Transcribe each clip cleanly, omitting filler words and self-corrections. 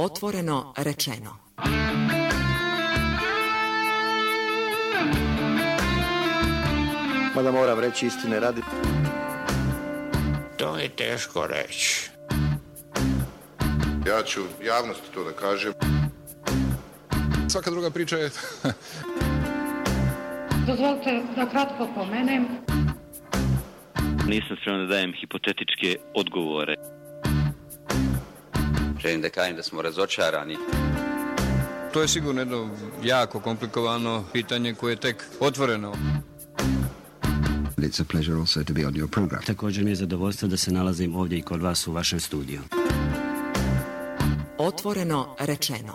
Otvoreno rečeno. Mada moram reći istine radi. To je teško reći. Ja ću javnosti to da kažem. Svaka druga priča je... Dozvolite da kratko pomenem. Nisam spreman da dajem hipotetičke odgovore. Želim da kažem da smo razočarani. To je sigurno jedno jako komplikovano pitanje koje je tek otvoreno. It's a pleasure also to be on your program. Također mi je zadovoljstvo da se nalazim ovdje i kod vas u vašem studiju. Otvoreno rečeno.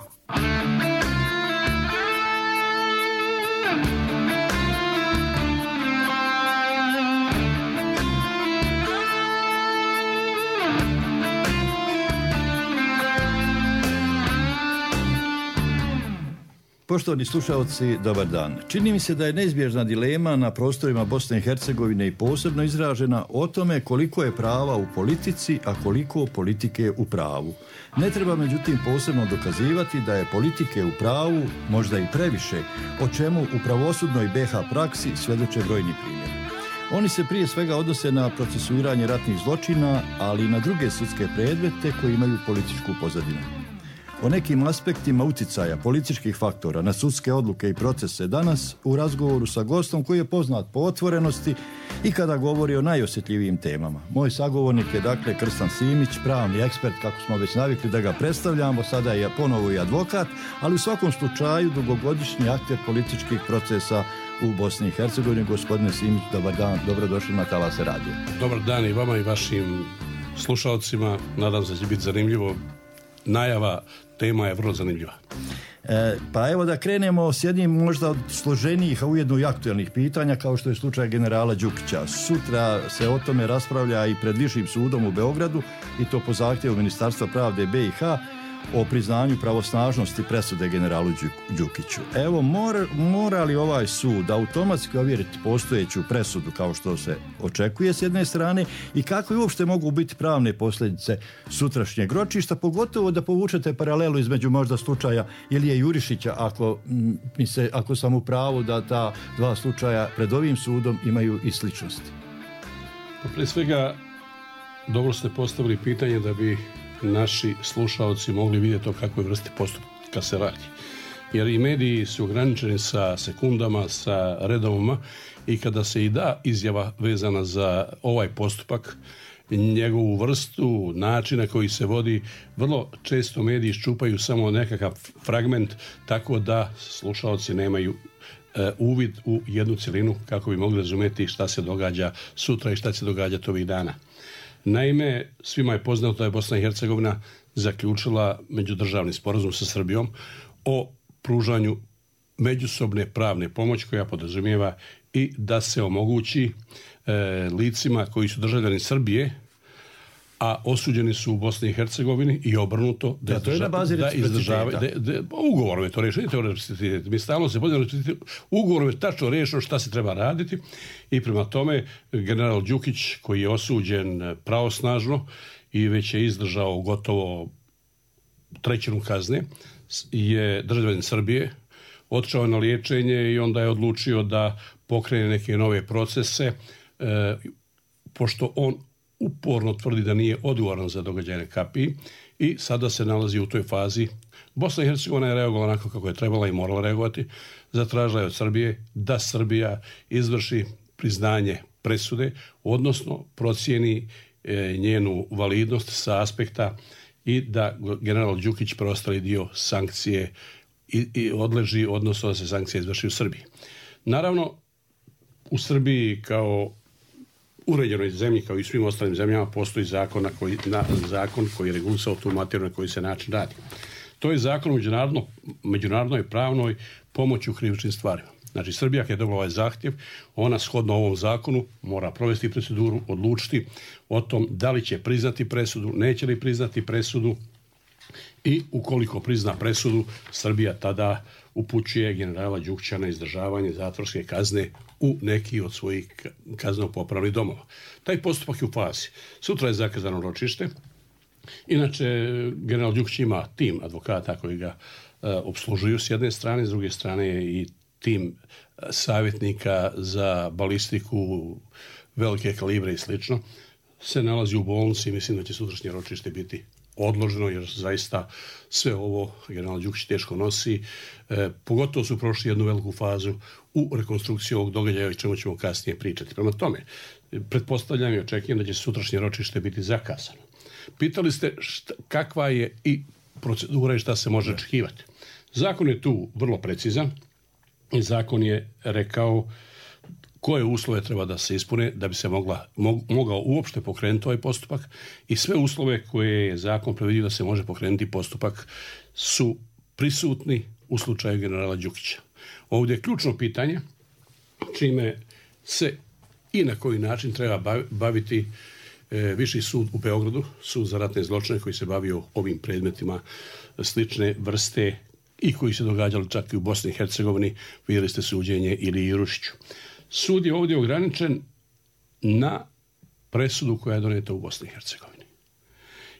Poštovani slušalci, dobar dan. Čini mi se da je neizbježna dilema na prostorima Bosne i Hercegovine i posebno izražena o tome koliko je prava u politici, a koliko politike u pravu. Ne treba međutim posebno dokazivati da je politike u pravu možda i previše, o čemu u pravosudnoj BiH praksi svjedoče brojni primjeri. Oni se prije svega odnose na procesuiranje ratnih zločina, ali i na druge sudske predmete koji imaju političku pozadinu. O nekim aspektima uticaja političkih faktora na sudske odluke i procese danas u razgovoru sa gostom koji je poznat po otvorenosti i kada govori o najosjetljivijim temama. Moj sagovornik je dakle Krstan Simić, pravni ekspert, kako smo već navikli da ga predstavljamo, sada je ponovo i advokat, ali u svakom slučaju dugogodišnji akter političkih procesa u Bosni i Hercegovini. Gospodine Simić, dobar dan, dobrodošli na Talase radija. Dobar dan i vama i vašim slušalcima, nadam se da će biti zanimljivo. Najava, tema je vrlo zanimljiva. Pa evo da krenemo s jednim možda od složenijih, a ujedno i aktualnih pitanja, kao što je slučaj generala Đukića. Sutra se o tome raspravlja i pred Višim sudom u Beogradu, i to po zahtjevu Ministarstva pravde BiH, o priznanju pravosnažnosti presude generalu Đukiću. Evo, mora li ovaj sud automatski ovjeriti postojeću presudu kao što se očekuje s jedne strane, i kako i uopšte mogu biti pravne posljedice sutrašnjeg ročišta, pogotovo da povučete paralelu između možda slučaja Ilije Jurišića, ako sam u pravu da ta dva slučaja pred ovim sudom imaju i sličnosti. Prije svega, dobro ste postavili pitanje da bi naši slušalci mogli vidjeti o kakvoj vrsti postupka se radi. Jer i mediji su ograničeni sa sekundama, sa redovima, i kada se i da izjava vezana za ovaj postupak, njegovu vrstu, načina koji se vodi, vrlo često mediji iščupaju samo nekakav fragment, tako da slušalci nemaju uvid u jednu cjelinu kako bi mogli razumjeti šta se događa sutra i šta će se događati ovih dana. Naime, svima je poznato da je Bosna i Hercegovina zaključila međudržavni sporazum sa Srbijom o pružanju međusobne pravne pomoći, koja podrazumijeva i da se omogući licima koji su državljani Srbije, a osuđeni su u Bosni i Hercegovini, i obrnuto da izdržavaju. Ugovorom je to rešeno, mi stalno se pozivamo, ugovorom je tačno rešeno šta se treba raditi, i prema tome general Đukić, koji je osuđen pravosnažno i već je izdržao gotovo trećinu kazne, je državljanin Srbije, otišao na liječenje i onda je odlučio da pokrene neke nove procese, pošto on uporno tvrdi da nije odgovoran za događaje Kapiji, i sada se nalazi u toj fazi. Bosna i Hercegovina je reagovala onako kako je trebala i morala reagovati. Zatražila je od Srbije da Srbija izvrši priznanje presude, odnosno procijeni njenu validnost sa aspekta i da general Đukić preostali dio sankcije i odleži, odnosno da se sankcije izvrši u Srbiji. Naravno, u Srbiji kao uređenoj zemlji, kao i svim ostalim zemljama, postoji zakon koji je regulisao tu materiju na koji se način radi. To je zakon o međunarodnoj pravnoj pomoći u krivičnim stvarima. Znači, Srbija kad je dobila ovaj zahtjev, ona shodno ovom zakonu mora provesti proceduru, odlučiti o tom da li će priznati presudu, neće li priznati presudu, i ukoliko prizna presudu, Srbija tada upućuje generala Đukića na izdržavanje zatvorske kazne u neki od svojih kazneno-popravnih domova. Taj postupak je u fazi. Sutra je zakazano ročište. Inače, general Đukić ima tim advokata koji ga opslužuju s jedne strane, s druge strane je i tim savjetnika za balistiku velike kalibre i slično, se nalazi u bolnici i mislim da će sutrašnje ročište biti odloženo, jer zaista sve ovo general Đukić teško nosi. Pogotovo su prošli jednu veliku fazu u rekonstrukciji ovog događaja, o čemu ćemo kasnije pričati. Prema tome, pretpostavljam i očekujem da će sutrašnje ročište biti zakasano. Pitali ste kakva je i procedura i šta se može očekivati. Zakon je tu vrlo precizan i zakon je rekao koje uslove treba da se ispune da bi se mogao uopšte pokrenuti ovaj postupak i sve uslove koje je zakon predvidio da se može pokrenuti postupak su prisutni u slučaju generala Đukića. Ovdje je ključno pitanje čime se i na koji način treba baviti Viši sud u Beogradu, sud za ratne zločine koji se bavio ovim predmetima slične vrste i koji se događali čak i u Bosni i Hercegovini, vidjeli ste suđenje ili Irušiću. Sud je ovdje ograničen na presudu koja je doneta u Bosni i Hercegovini.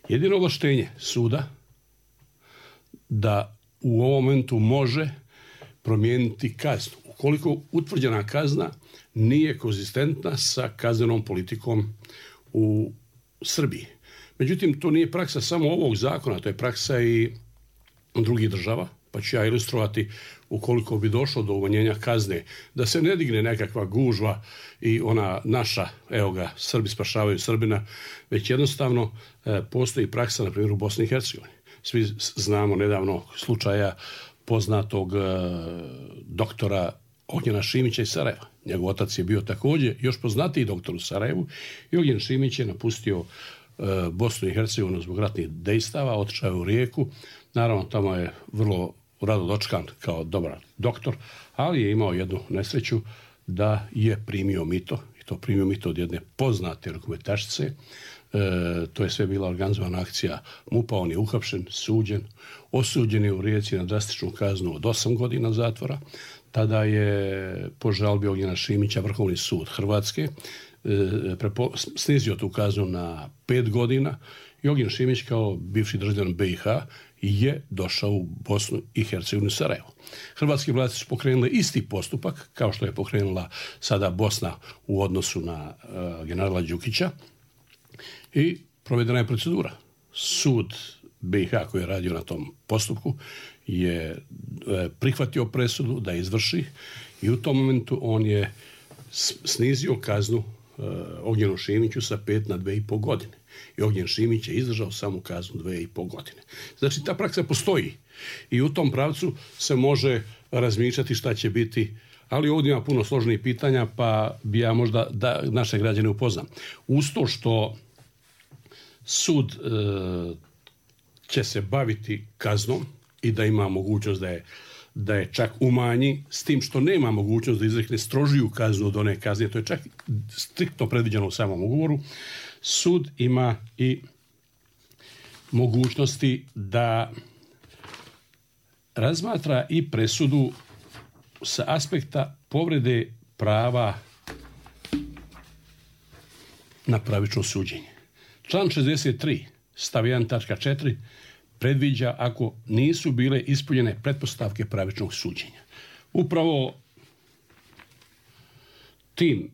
Jedino ovlaštenje suda da u ovom momentu može promijeniti kaznu. Ukoliko utvrđena kazna nije konzistentna sa kaznenom politikom u Srbiji. Međutim, to nije praksa samo ovog zakona, to je praksa i drugih država, pa ću ja ilustrovati ukoliko bi došlo do umanjenja kazne, da se ne digne nekakva gužva i ona naša, evo ga, Srbi spašavaju Srbina, već jednostavno postoji praksa, na primjer, u Bosni i Hercegovini. Svi znamo nedavno slučaja poznatog doktora Ognjena Šimića iz Sarajeva. Njegov otac je bio također još poznatiji doktor u Sarajevu i Ognjen Šimić je napustio Bosnu i Hercegovinu zbog ratnih dejstava, otišao je u Rijeku. Naravno, tamo je vrlo rado dočekan kao dobar doktor, ali je imao jednu nesreću da je primio mito, i to primio mito od jedne poznate rukometašice. To je sve bila organizovana akcija MUP-a, on je uhapšen, suđen, osuđen je u Rijeci na drastičnu kaznu od 8 godina zatvora. Tada je po žalbi Ognjena Šimića Vrhovni sud Hrvatske snizio tu kaznu na 5 godina i Ognjen Šimić kao bivši državljanin BiH je došao u Bosnu i Hercegovinu, Sarajevo. Hrvatske vlasti su pokrenule isti postupak kao što je pokrenula sada Bosna u odnosu na generala Đukića i provedena je procedura. Sud BiH koji je radio na tom postupku je prihvatio presudu da izvrši i u tom momentu on je snizio kaznu Ognjenu Šimiću sa 5 na 2,5 godine. I Ognjen Šimić je izdržao samu kaznu 2,5 godine. Znači, ta praksa postoji i u tom pravcu se može razmišljati šta će biti, ali ovdje ima puno složenih pitanja, pa bi ja možda da naše građane upoznam. Uz to što sud će se baviti kaznom i da ima mogućnost da je čak umanji, s tim što nema mogućnost da izrekne strožiju kaznu od one kazne, to je čak striktno predviđeno u samom ugovoru, sud ima i mogućnosti da razmatra i presudu sa aspekta povrede prava na pravično suđenje. Član 63, stav 1, tačka 4, predviđa ako nisu bile ispunjene pretpostavke pravičnog suđenja. Upravo tim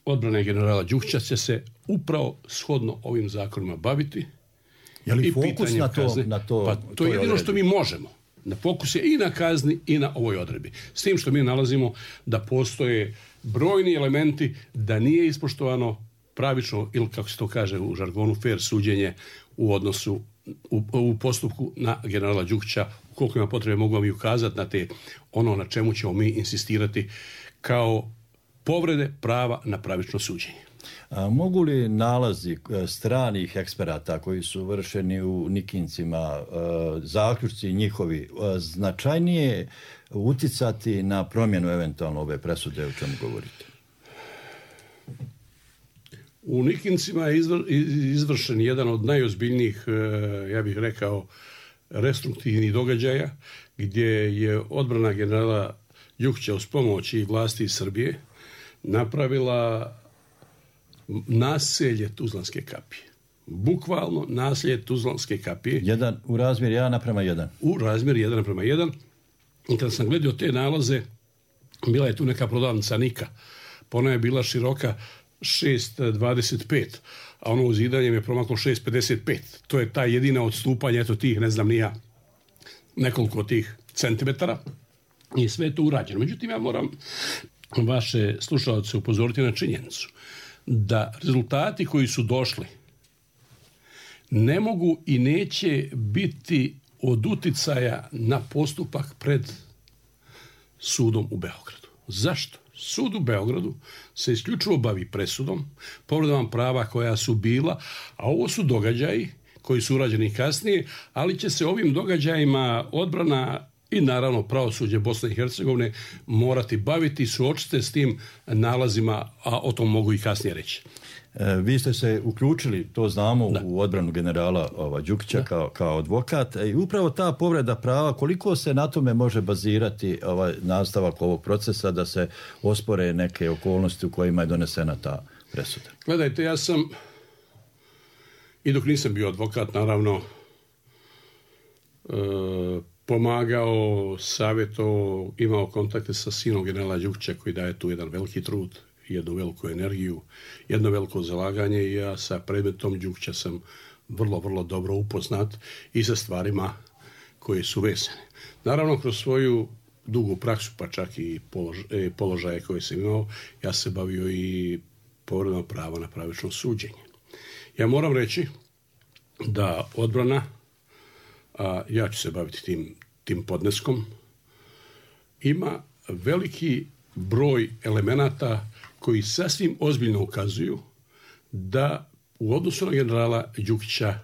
odbrane generala Đukića će se upravo shodno ovim zakonima baviti. Je li fokus na to? Pa to je jedino što mi možemo. Da fokus je i na kazni i na ovoj odredbi. S tim što mi nalazimo da postoje brojni elementi da nije ispoštovano pravično ili kako se to kaže u žargonu fair suđenje u odnosu u postupku na generala Đukića. Koliko ima potrebe mogu vam i ukazati na te ono na čemu ćemo mi insistirati kao povrede prava na pravično suđenje. Mogu li nalazi stranih eksperata koji su vršeni u Nikincima, zaključci njihovi, značajnije uticati na promjenu eventualno ove presude o čemu govorite? U Nikincima je izvršen jedan od najozbiljnijih, ja bih rekao, restruktivnih događaja, gdje je odbrana generala Đukića uz pomoć i vlasti iz Srbije napravila naselje Tuzlanske kapije. bukvalno naslije Tuzlanske kapije. U razmjer 1:1. U razmjer 1:1. I kada sam gledao te nalaze, bila je tu neka prodavnica Nika. Pa ona je bila široka 6,25, a ono uzidanjem je promaklo 6,55. To je ta jedina odstupanja, eto tih, ne znam ni ja, nekoliko tih centimetara. I sve je to urađeno. Međutim, ja moram vaše slušalce upozoriti na činjenicu da rezultati koji su došli ne mogu i neće biti od uticaja na postupak pred sudom u Beogradu. Zašto? Sud u Beogradu se isključivo bavi presudom, povredama prava koja su bila, a ovo su događaji koji su urađeni kasnije, ali će se ovim događajima odbrana i naravno pravosuđe Bosne i Hercegovine morati baviti i suočiti s tim nalazima, a o tom mogu i kasnije reći. Vi ste se uključili, to znamo, u odbranu generala Đukića kao advokat i upravo ta povreda prava, koliko se na tome može bazirati nastavak ovog procesa da se ospore neke okolnosti u kojima je donesena ta presuda? Gledajte, ja sam i dok nisam bio advokat, naravno, pomagao, savjetovao, imao kontakte sa sinom generala Đukića koji daje tu jedan veliki trud, jednu veliku energiju, jedno veliko zalaganje i ja sa predmetom Đukića sam vrlo, vrlo dobro upoznat i sa stvarima koje su vezane. Naravno, kroz svoju dugu praksu, pa čak i položaje koje sam imao, ja se bavio i povredom prava na pravično suđenje. Ja moram reći da odbrana, a ja ću se baviti tim podneskom, ima veliki broj elemenata koji sasvim ozbiljno ukazuju da u odnosu na generala Đukića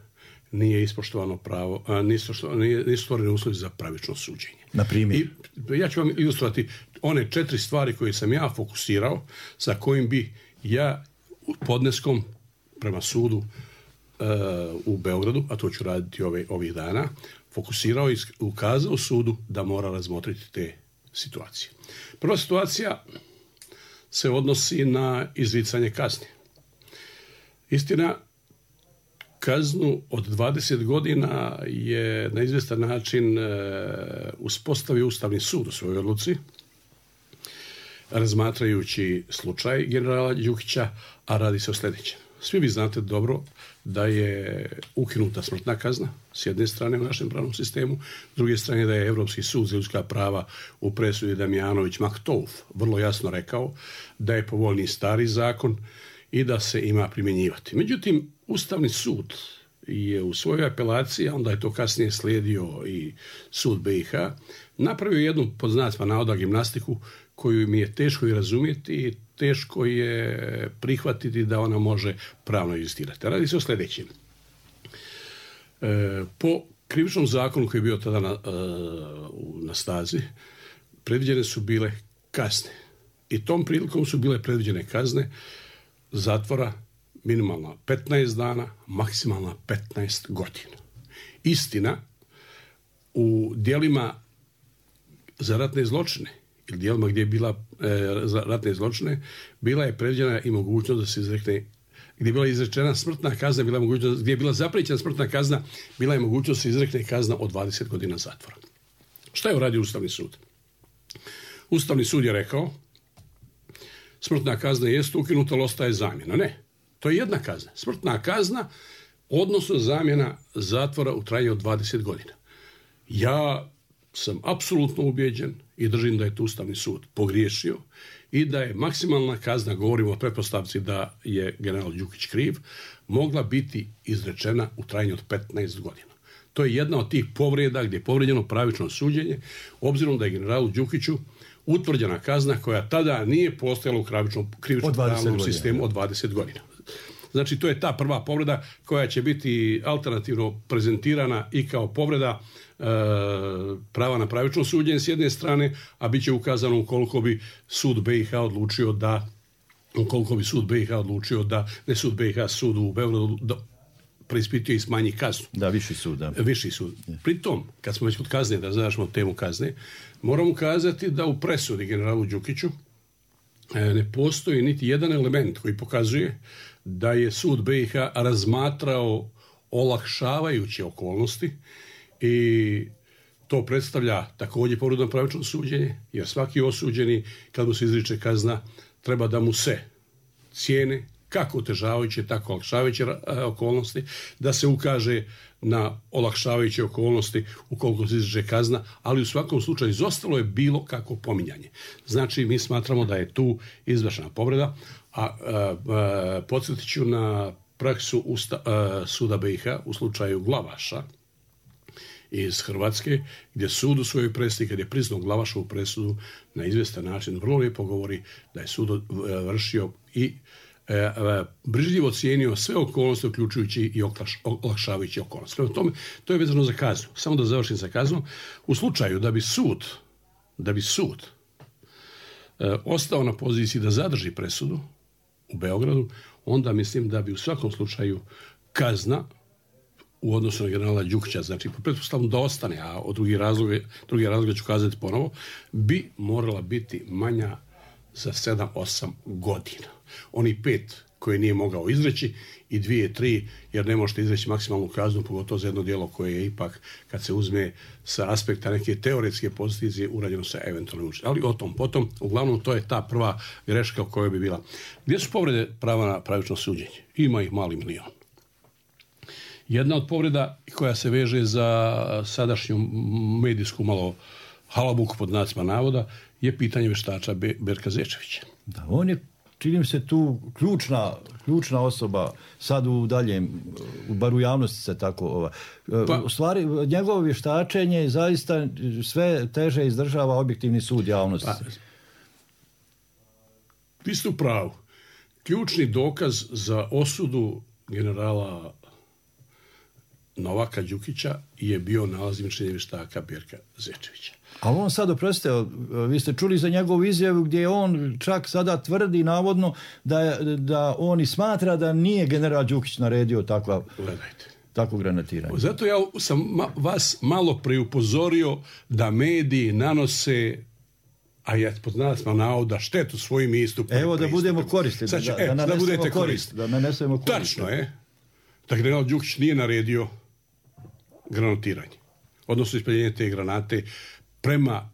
nije ispoštovano pravo, nisu stvoreni uslovi za pravično suđenje. Na primjer? Ja ću vam ilustrovati one 4 stvari koje sam ja fokusirao, sa kojim bi ja podneskom prema sudu u Beogradu, a to ću raditi ovih dana, fokusirao i ukazao sudu da mora razmotriti te situacije. Prva situacija se odnosi na izricanje kazne. Istina, kaznu od 20 godina je na izvjestan način uspostavio Ustavni sud u svojoj odluci, razmatrajući slučaj generala Đukića, a radi se o sljedećem. Svi vi znate dobro da je ukinuta smrtna kazna s jedne strane u našem pravnom sistemu, s druge strane da je Europski sud za ljudska prava u presudi Damjanović-Maktouf vrlo jasno rekao da je povoljniji stari zakon i da se ima primjenjivati. Međutim, Ustavni sud je u svojoj apelaciji, a onda je to kasnije slijedio i sud BiH, napravio jednu, pod znacima navoda, gimnastiku koju mi je teško i razumjeti i teško je prihvatiti da ona može pravno egzistirati. Radi se o sljedećem. Po krivičnom zakonu koji je bio tada na snazi, predviđene su bile kazne. I tom prilikom su bile predviđene kazne zatvora minimalna 15 dana, maksimalna 15 godina. Istina, u djelima za ratne zločine ili dijelima gdje je bila za ratne zločine, bila je predviđena i mogućnost da se izrekne, gdje je bila izrečena smrtna kazna, bila je mogućnost, gdje je bila zapriječena smrtna kazna, bila je mogućnost da se izrekne kazna od 20 godina zatvora. Šta je uradio Ustavni sud? Ustavni sud je rekao, smrtna kazna jest ukinuta, ali ostaje zamjena. Ne, to je jedna kazna. Smrtna kazna, odnosno zamjena zatvora u trajanju od 20 godina. Ja sam apsolutno ubijeđen i držim da je tu Ustavni sud pogriješio i da je maksimalna kazna, govorimo o pretpostavci da je general Đukić kriv, mogla biti izrečena u trajanju od 15 godina. To je jedna od tih povreda gdje je povrijeđeno pravično suđenje, obzirom da je generalu Đukiću utvrđena kazna koja tada nije postojala u krivičnom pravnom sistemu od 20 godina. Znači, to je ta prva povreda koja će biti alternativno prezentirana i kao povreda prava na pravično suđenje s jedne strane, a bit će ukazano ukoliko bi sud BiH odlučio da, ne sud BiH, sud u Beogradu preispituje i smanji kaznu. Da, viši sud. Da. Viši sud. Pritom, kad smo već kod kazne, da završimo temu kazne, moram ukazati da u presudi generalu Đukiću ne postoji niti jedan element koji pokazuje da je sud BiH razmatrao olakšavajuće okolnosti i to predstavlja također povredu na pravično suđenje, jer svaki osuđeni, kad mu se izriče kazna, treba da mu se cijene kako otežavajuće, tako olakšavajuće okolnosti, da se ukaže na olakšavajuće okolnosti ukoliko se izriče kazna, ali u svakom slučaju izostalo je bilo kako pominjanje. Znači, mi smatramo da je tu izvršena povreda, a podsjetit ću na praksu suda BiH u slučaju Glavaša iz Hrvatske, gdje sud u svojoj presudi, kad je priznao Glavašovu presudu, na izvjestan način vrlo lijepo govori da je sud vršio i brižljivo cijenio sve okolnosti, uključujući i olakšavajuće okolnosti. Prema tome, to je vezano za kaznu. Samo da završim sa kaznom. U slučaju da bi sud ostao na poziciji da zadrži presudu u Beogradu, onda mislim da bi u svakom slučaju kazna u odnosu na generala Đukića, znači po pretpostavljam da ostane, a od drugi razloga ću kazati ponovo, bi morala biti manja za 7-8 godina. Oni 5 koje nije mogao izreći i 2-3, jer ne možete izreći maksimalnu kaznu, pogotovo za jedno djelo koje je ipak, kad se uzme sa aspekta neke teoretske pozicije, urađeno sa eventualnim učinkom. Ali o tom potom, uglavnom to je ta prva greška u kojoj bi bila. Gdje su povrede prava na pravično suđenje? Ima ih mali milion. Jedna od povreda koja se veže za sadašnju medijsku malo halabuku pod znacima navoda je pitanje vještača Berka Zečevića. Da, on je, čini mi se, tu ključna osoba sad bar u javnosti se tako u stvari njegovo vještačenje zaista sve teže izdržava objektivni sud javnosti. Vi ste u pravu. Ključni dokaz za osudu generala Novaka Đukića je bio nalaz i mišljenje vještaka Berka Zečevića. Ali on sad, oprostite, vi ste čuli za njegovu izjavu gdje on čak sada tvrdi navodno da on i smatra da nije general Đukić naredio takvo granatiranje. Zato ja sam vas malo preupozorio da mediji nanose, a ja poznam navoda, štetu svojim istupima. Evo da budemo koristi, da budete koristi. Tačno je da general Đukić nije naredio granatiranje, odnosno ispaljenje te granate prema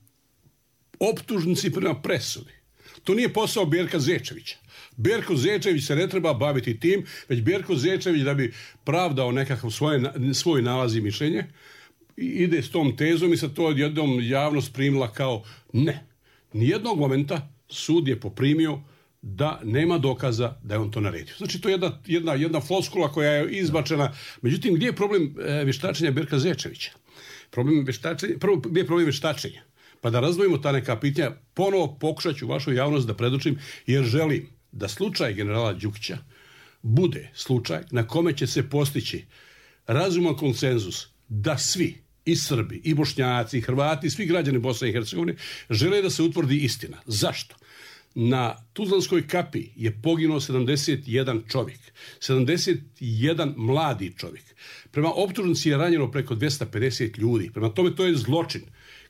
optužnici, prema presudi. To nije posao Berka Zečevića. Berko Zečević se ne treba baviti tim, već Berko Zečević, da bi pravdao nekakav svoj nalaz i mišljenje, ide s tom tezom i sad to odjednom javnost primila kao ne. Nijednog momenta sud je poprimio da nema dokaza da je on to naredio. Znači, to je jedna floskula koja je izbačena. Međutim, gdje je problem vještačenja Berka Zečevića? Gdje je problem vještačenja? Pa da razdvojimo ta neka pitanja, ponovo pokušat ću vašu javnost da predočim, jer želim da slučaj generala Đukića bude slučaj na kome će se postići razuman konsenzus da svi, i Srbi, i Bošnjaci, i Hrvati, i svi građani Bosne i Hercegovine žele da se utvrdi istina. Zašto? Na Tuzlanskoj kapiji je poginuo 71 čovjek, 71 mladi čovjek. Prema optužnici je ranjeno preko 250 ljudi. Prema tome, to je zločin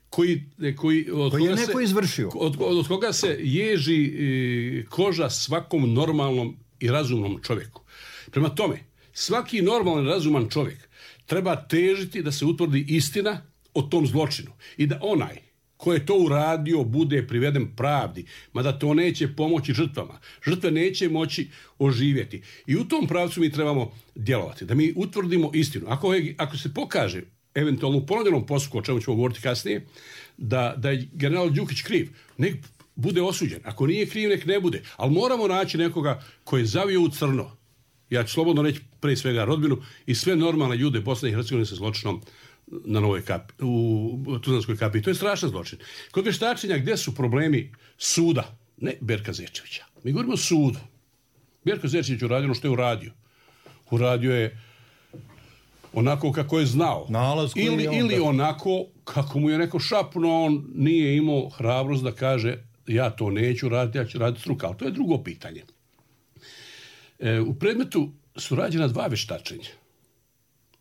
koji je neko izvršio. Od koga se ježi koža svakom normalnom i razumnom čovjeku. Prema tome, svaki normalan i razuman čovjek treba težiti da se utvrdi istina o tom zločinu i da onaj ko je to uradio bude priveden pravdi, mada to neće pomoći žrtvama. Žrtve neće moći oživjeti. I u tom pravcu mi trebamo djelovati, da mi utvrdimo istinu. Ako se pokaže eventualno u ponovljenom postupku, o čemu ćemo govoriti kasnije, da je general Đukić kriv, nek bude osuđen. Ako nije kriv, nek ne bude. Ali moramo naći nekoga koji je zavio u crno. Ja ću slobodno reći prije svega rodbinu i sve normalne ljude Bosne i Hercegovine sa zločinom na Novoj kapi, u Tuzlanskoj kapiji. To je strašan zločin. Kod vještačenja gdje su problemi suda, ne Berka Zečevića. Mi govorimo o sudu. Berko Zečević uradio ono što je uradio. Uradio je onako kako je znao. Ili onako kako mu je neko šapnuo, on nije imao hrabrost da kaže ja to neću raditi, ja ću raditi struka. Ali to je drugo pitanje. U predmetu su rađena 2 vještačenja.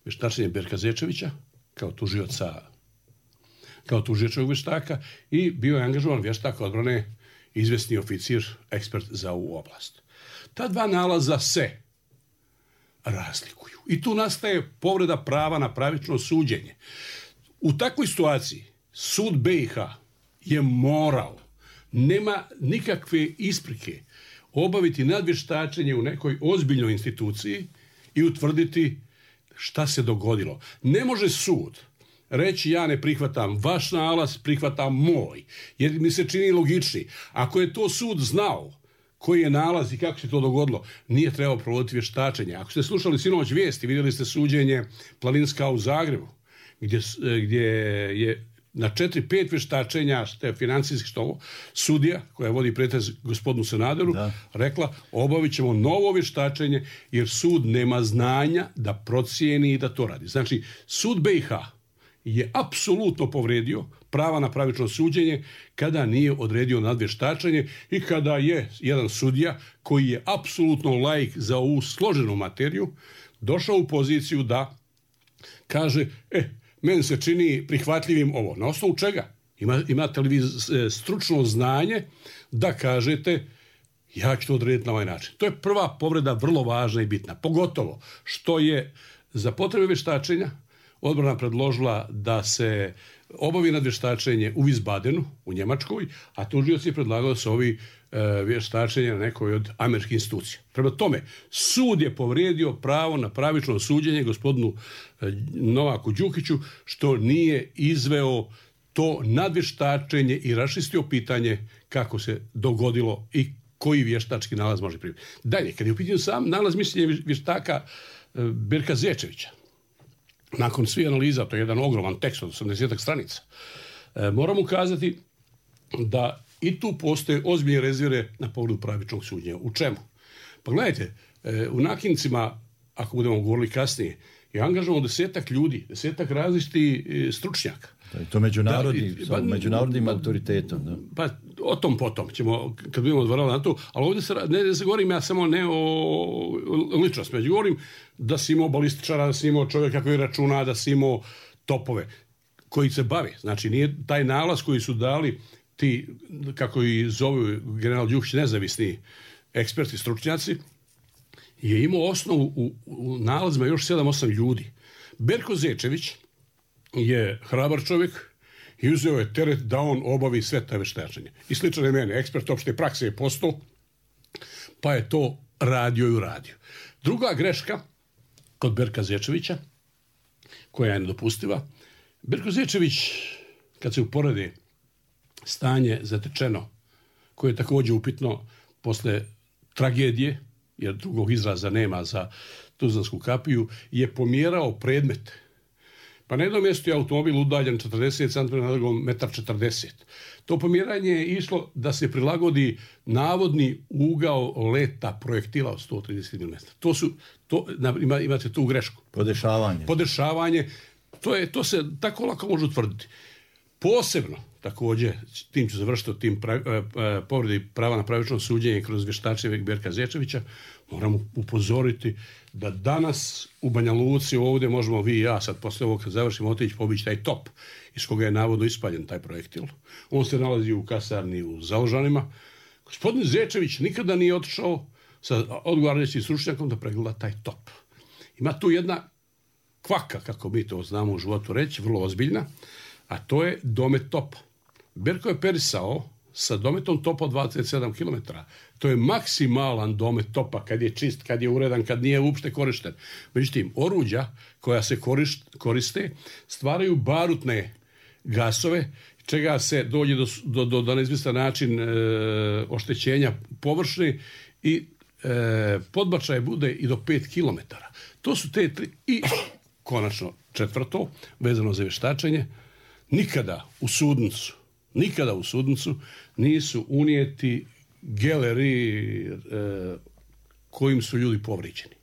Vještačenje Berka Zečevića kao tužiočevog vještaka i bio je angažovan vještak odbrane izvesni oficir, ekspert za ovu oblast. Ta dva nalaza se razlikuju. I tu nastaje povreda prava na pravično suđenje. U takvoj situaciji sud BiH je morao, nema nikakve isprike, obaviti nadvještačenje u nekoj ozbiljnoj instituciji i utvrditi šta se dogodilo. Ne može sud reći ja ne prihvatam vaš nalaz, prihvatam moj, jer mi se čini logični. Ako je to sud znao koji je nalaz i kako se to dogodilo, nije trebao provoditi vještačenje. Ako ste slušali sinoć vijesti, vidjeli ste suđenje Planinska u Zagrebu, gdje je na 4-5 vještačenja, što je financijski što sudija, koja vodi pretres gospodinu Sanaderu, rekla obavit ćemo novo vještačenje jer sud nema znanja da procijeni i da to radi. Znači, sud BiH je apsolutno povredio prava na pravično suđenje kada nije odredio nadvještačenje i kada je jedan sudija koji je apsolutno laik za ovu složenu materiju došao u poziciju da kaže meni se čini prihvatljivim ovo. Na osnovu čega? Imate li vi stručno znanje da kažete ja ću to odrediti na ovaj način? To je prva povreda, vrlo važna i bitna. Pogotovo što je za potrebe vještačenja odbrana predložila da se obavi nadvještačenje u Wiesbadenu, u Njemačkoj, a tužioc je predlagao da se ovi vještačenje na nekoj od američkih institucija. Prema tome, sud je povrijedio pravo na pravično suđenje gospodinu Novaku Đukiću što nije izveo to nadvještačenje i raščistio pitanje kako se dogodilo i koji vještački nalaz može primiti. Dalje, kad je u pitanju sam nalaz mišljenja vještaka Berka Zečevića, nakon svih analiza, to je jedan ogroman tekst od 80 stranica, moram ukazati da i tu postoje ozbiljne rezerve na povredu pravičnog suđenja. U čemu? Pa gledajte, u Nakincima, ako budemo govorili kasnije, je angažovano 10 ljudi, 10 različitih stručnjaka. To međunarodnim autoritetom. Da. Pa o tom potom ćemo, kad budemo odvarali na to, ali ovdje ne se govorim ja samo ne o ličnosti, među govorim da si imao balističara, da si imao čovjeka koji računa, da si imao topove koji se bave. Znači nije taj nalaz koji su dali ti, kako i zovu general Đukić, nezavisni eksperti, stručnjaci, je imao osnovu u nalazima još 7-8 ljudi. Berko Zečević je hrabar čovjek i uzeo je teret da on obavi sve ta vještačenje. I slično je mene, ekspert opšte prakse je postao, pa je to radio i uradio. Druga greška kod Berka Zečevića, koja je nedopustiva, Berko Zečević, kad se uporede stanje zatečeno, koje je također upitno posle tragedije, jer drugog izraza nema za Tuzlansku kapiju, je pomjerao predmet. Pa na jednom mjestu je automobil udaljen 40 cm, na drugom 1,40 m. To pomjeranje je išlo da se prilagodi navodni ugao leta projektila od 130 mm. Imate tu grešku. Podešavanje. To se tako lako može utvrditi. Posebno, također, tim ću završiti o tim povredi prava na pravično suđenje kroz vještačenje Berka Zečevića, moramo upozoriti da danas u Banja Luci ovdje možemo vi i ja sad posle ovog kad završimo otići pobići taj top iz koga je navodno ispaljen taj projektil. On se nalazi u kasarni u Založanima. Gospodin Zečević nikada nije otišao sa odgovarajućim stručnjakom da pregleda taj top. Ima tu jedna kvaka, kako mi to znamo u životu reći, vrlo ozbiljna, a to je domet topa. Berko je perisao sa dometom topa od 27 km. To je maksimalan domet topa kad je čist, kad je uredan, kad nije uopšte korišten. Međutim, oruđa koja se koriste stvaraju barutne gasove, čega se dođe do neizvjestan način oštećenja površine i podbačaj bude i do 5 km. To su te tri. I konačno četvrto, vezano za vještačenje, nikada u sudnicu nisu unijeti geleri kojim su ljudi povrijeđeni.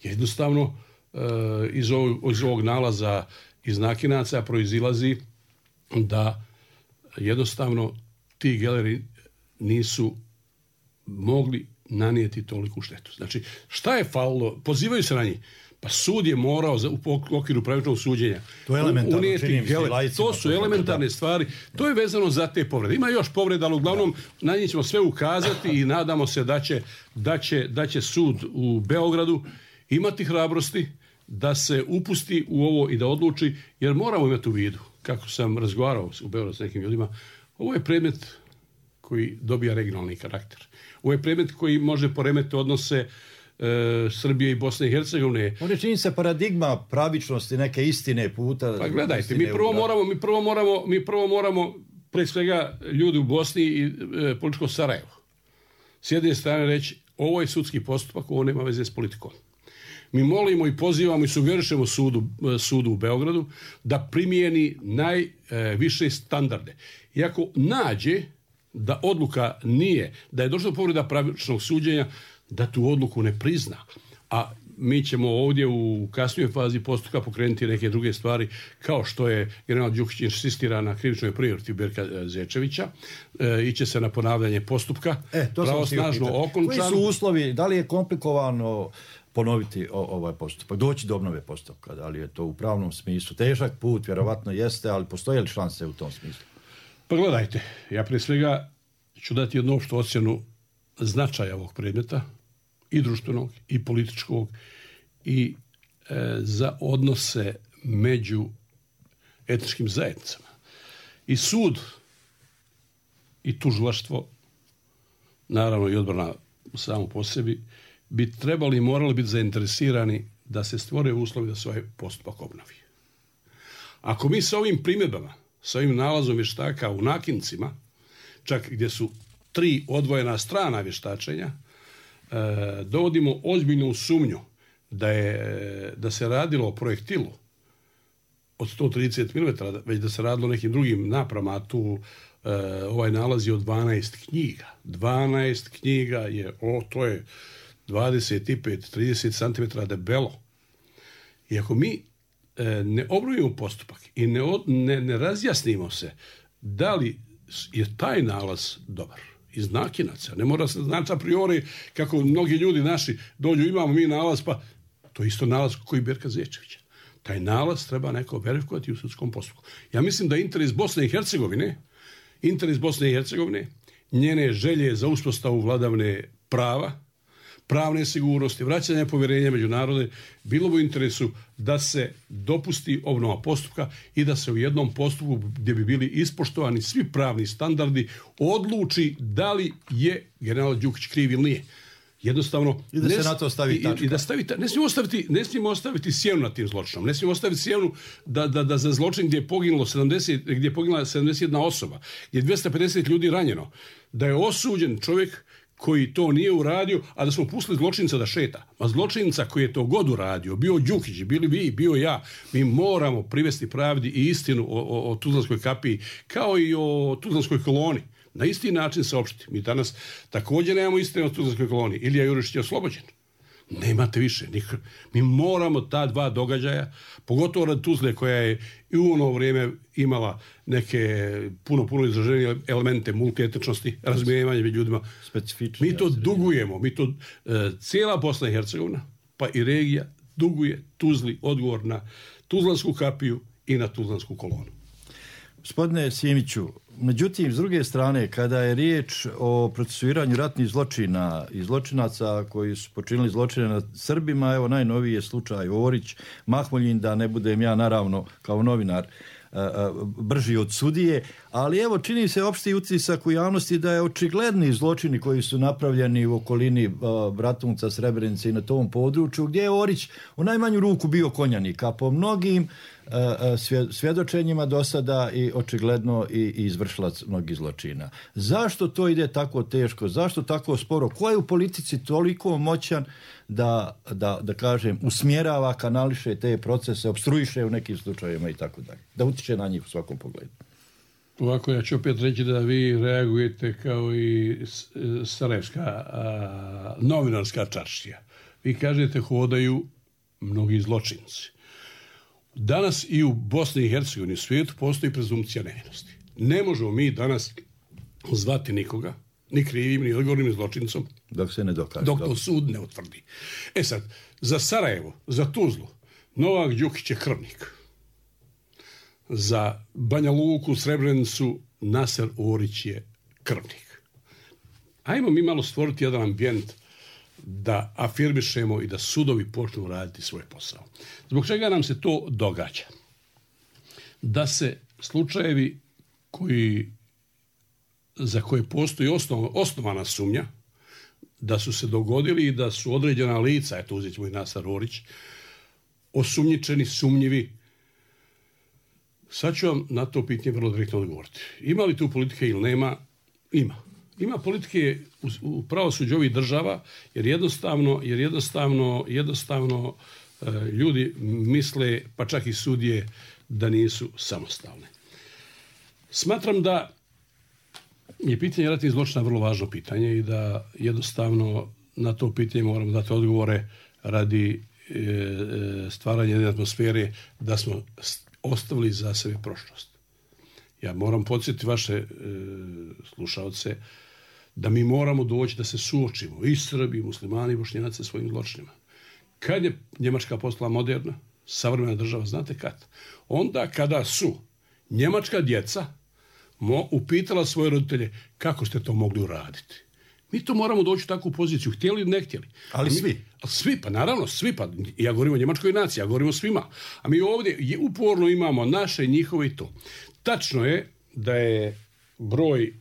Jednostavno, iz ovog nalaza iz Nakinaca proizilazi da jednostavno ti geleri nisu mogli nanijeti toliku štetu. Znači, šta je falilo? Pozivaju se na njih. Pa sud je morao u okviru pravičnog suđenja. To je elementarno, činim se lajcima. To su elementarne stvari. To je vezano za te povrede. Ima još povreda, ali uglavnom na njih ćemo sve ukazati i nadamo se da će sud u Beogradu imati hrabrosti da se upusti u ovo i da odluči, jer moramo imati u vidu, kako sam razgovarao u Beogradu s nekim ljudima, ovo je predmet koji dobija regionalni karakter. Ovo je predmet koji može poremetiti odnose Srbije i Bosne i Hercegovine. Ovdje čini se paradigma pravičnosti, neke istine puta. Pa gledajte, mi prvo moramo pre svega ljudi u Bosni i političko Sarajevo. S jedne strane reći, ovo je sudski postupak, ovo nema veze s politikom. Mi molimo i pozivamo i sugerišemo sudu u Beogradu da primijeni najviše standarde. I ako nađe da odluka nije, da je došla do povreda pravičnog suđenja, da tu odluku ne prizna. A mi ćemo ovdje u kasnijoj fazi postupka pokrenuti neke druge stvari, kao što je general Đukić insistira na krivičnoj prijave protiv Berka Zečevića. Iće se na ponavljanje postupka. Pravosnažno okončano. Koji su uslovi, da li je komplikovano ponoviti ovaj postupak, doći do obnove postupka, da li je to u pravnom smislu težak put, vjerovatno jeste, ali postoje li šanse u tom smislu? Pa gledajte, ja prije svega ću dati jednu opštu ocjenu značaja ovog predmeta, i društvenog, i političkog, i za odnose među etničkim zajednicama. I sud, i tužilaštvo, naravno i odbrana samo po sebi, bi trebali i morali biti zainteresirani da se stvore uslovi da se ovaj postupak obnovi. Ako mi sa ovim primjedbama, sa ovim nalazom vještaka u Nakincima, čak gdje su 3 odvojena strana vještačenja, dovodimo ozbiljnu sumnju da se radilo o projektilu od 130 mm, već da se radilo o nekim drugim napravama, a tu ovaj nalaz je od 12 knjiga. 12 knjiga je, to je 25-30 cm debelo. I ako mi ne obnovimo postupak i ne razjasnimo se da li je taj nalaz dobar iz Nakinaca, ne mora se znači a priori kako mnogi ljudi naši dođu, imamo mi nalaz, pa to je isto nalaz koji Berka Zečevića. Taj nalaz treba neko verifikovati u sudskom postupku. Ja mislim da interes Bosne i Hercegovine, njene želje za uspostavu vladavine prava, pravne sigurnosti, vraćanja povjerenja među narode, bilo bi u interesu da se dopusti obnova postupka i da se u jednom postupku gdje bi bili ispoštovani svi pravni standardi odluči da li je general Đukić kriv ili nije. Jednostavno, i da se na to stavi tačka. I da ne smijemo ostaviti sjenu na tim zločinom. Ne smijemo ostaviti sjenu da za zločin gdje je poginula 71 osoba, gdje je 250 ljudi ranjeno, da je osuđen čovjek koji to nije uradio, a da smo pustili zločinca da šeta. A zločinca koji je to god uradio, bio Đukić, bili vi, bio ja, mi moramo privesti pravdi i istinu o Tuzlanskoj kapiji, kao i o Tuzlanskoj koloni. Na isti način saopštiti. Mi danas također nemamo istine o Tuzlanskoj koloni. Ilija Jurišić je oslobođen. Nemate više. Mi moramo ta dva događaja, pogotovo rad Tuzle koja je i u ono vrijeme imala neke puno izraženije elemente multietničnosti, razumijevanje među ljudima. Mi to dugujemo. Cijela Bosna i Hercegovina, pa i regija, duguje Tuzli odgovor na Tuzlansku kapiju i na Tuzlansku kolonu. Gospodine Simiću, međutim, s druge strane, kada je riječ o procesuiranju ratnih zločina i zločinaca koji su počinili zločine nad Srbima, evo najnoviji je slučaj Orić, Mahmuljin, da ne budem ja naravno kao novinar brži od sudije, ali evo čini se opšti utisak u javnosti da je očigledni zločini koji su napravljeni u okolini Bratunca, Srebrenice i na tom području, gdje je Orić u najmanju ruku bio konjanik, a po mnogim svjedočenjima do sada i očigledno i izvršilac mnogih zločina. Zašto to ide tako teško? Zašto tako sporo? Ko je u politici toliko moćan da kažem, usmjerava, kanališe te procese, opstruiše u nekim slučajevima i tako dalje? Da utiče na njih u svakom pogledu. Ovako, ja ću opet reći da vi reagujete kao i sarajevska novinarska čaršija. Vi kažete hodaju mnogi zločinci. Danas i u Bosni i Hercegovini, u svijetu, postoji prezumpcija nevinosti. Ne možemo mi danas zvati nikoga, ni krivim, ni odgovornim, ni zločincom. Dok se ne dokaže. Dok to sud ne utvrdi. E sad, za Sarajevo, za Tuzlu, Novak Đukić je krvnik. Za Banja Luku, Srebrenicu, Naser Orić je krvnik. Ajmo mi malo stvoriti jedan ambijent da afirmišemo i da sudovi počnu raditi svoj posao. Zbog čega nam se to događa? Da se slučajevi za koje postoji osnovana sumnja, da su se dogodili i da su određena lica, eto uzet ćemo i Naser Orić, osumnjičeni, sumnjivi. Sad ću vam na to pitanje vrlo direktno odgovoriti. Ima li tu politike ili nema? Ima. Ima politike u pravosuđu ovih država, jer jednostavno ljudi misle, pa čak i sudije, da nisu samostalne. Smatram da je pitanje ratnih zločina vrlo važno pitanje i da jednostavno na to pitanje moramo dati odgovore radi stvaranja jedne atmosfere da smo ostavili za sebe prošlost. Ja moram podsjetiti vaše slušaoce da mi moramo doći da se suočimo i Srbi, i muslimani, i Bošnjaci sa svojim zločinima. Kad je Njemačka postala moderna, savremena država, znate kad? Onda kada su njemačka djeca upitala svoje roditelje kako ste to mogli uraditi. Mi to moramo doći u takvu poziciju, htjeli ili ne htjeli. Ali svi? Svi, pa naravno, svi. Pa ja govorim o njemačkoj naciji, ja govorim o svima. A mi ovdje uporno imamo naše, njihove i to. Tačno je da je broj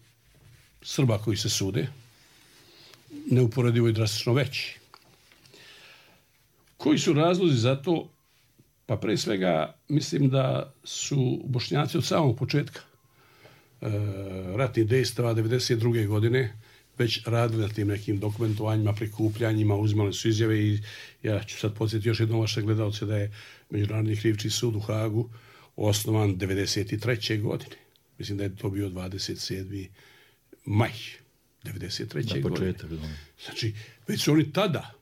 Srba koji se sude neuporedivo i drastično veći. Koji su razlozi za to? Pa pre svega mislim da su Bošnjaci od samog početka ratnih dejstava 1992. godine već radili na tim nekim dokumentovanjima, prikupljanjima, uzimali su izjave i ja ću sad podsjetiti još jednom vaše gledalce da je Međunarodni krivični sud u Hagu osnovan 1993. godine. Mislim da je to bio 27. maj 1993. godine. Znači, već su oni tada,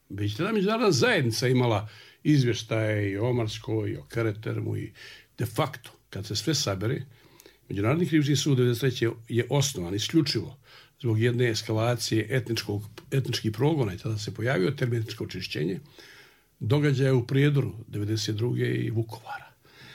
međunarodna zajednica imala izvještaje i o Omarskoj, i o Keretermu i de facto, kad se sve sabere, Međunarodni krivični sud 1993. je osnovan isključivo zbog jedne eskalacije etničkih progona i tada se pojavio termin etničko očišćenje, događaja u Prijedoru 1992. i Vukovara.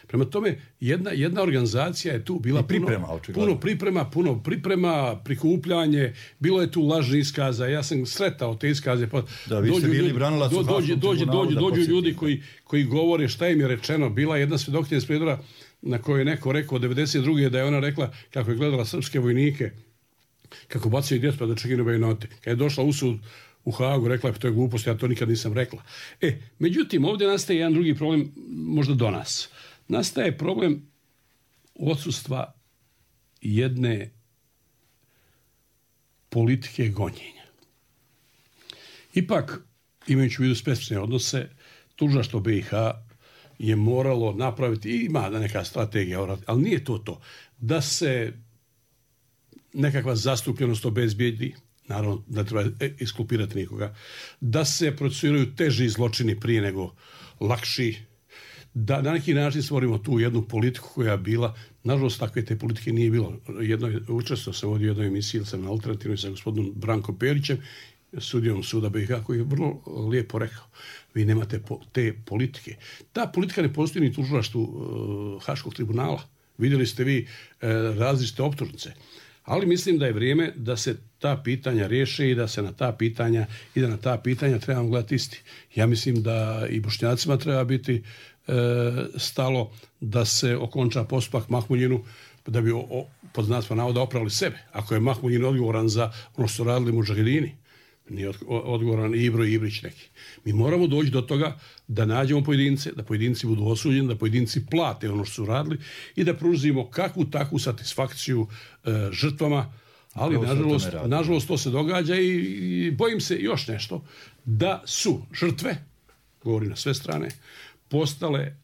Prema tome, jedna organizacija je tu bila puno priprema, prikupljanje, bilo je tu lažnih iskaza, ja sam sretao te iskaze. Da, vi ste bili branilac u Haškom tribunalu. Dođu ljudi koji govore šta im je rečeno. Bila jedna svjedokinja iz Prijedora na kojoj je neko rekao 1992. da je ona rekla kako je gledala srpske vojnike, kako bacaju djecu pa da čekinu bajonote. Kad je došla u sud u Hagu, rekla je to je glupost, ja to nikad nisam rekla. Međutim, ovdje nastaje jedan drugi problem, možda do nas. Nastaje problem odsustva jedne politike gonjenja. Ipak, imajući u vidu specifične odnose, tužilaštvo BiH je moralo napraviti, ima neka strategija, ali nije to, da se nekakva zastupljenost obezbijedi, naravno da treba iskulpirati nikoga, da se procesuiraju teži zločini prije nego lakši, da na neki način stvorimo tu jednu politiku koja je bila, nažalost takve te politike nije bilo. Učestvovao sam ovdje u jednoj emisiji, sam na Alternativnoj sa gospodinom Brankom Perićem, sudijom suda BiH, koji je vrlo lijepo rekao, vi nemate te politike. Ta politika ne postoji ni u tužilaštvu Haškog tribunala. Vidjeli ste vi različite optužnice. Ali mislim da je vrijeme da se ta pitanja riješe i da se na ta pitanja trebamo gledati isti. Ja mislim da i Bošnjacima treba biti stalo da se okonča postupak Mahmuljinu da bi pod znacima navoda opravili sebe. Ako je Mahmuljin odgovoran za ono što su radili mudžahedini, nije odgovoran Ibro i Ibrić neki. Mi moramo doći do toga da nađemo pojedince, da pojedinci budu osuđeni, da pojedinci plate ono što su radili i da pružimo kakvu takvu satisfakciju žrtvama, ali nažalost to se događa i bojim se još nešto, da su žrtve, govorim na sve strane, postale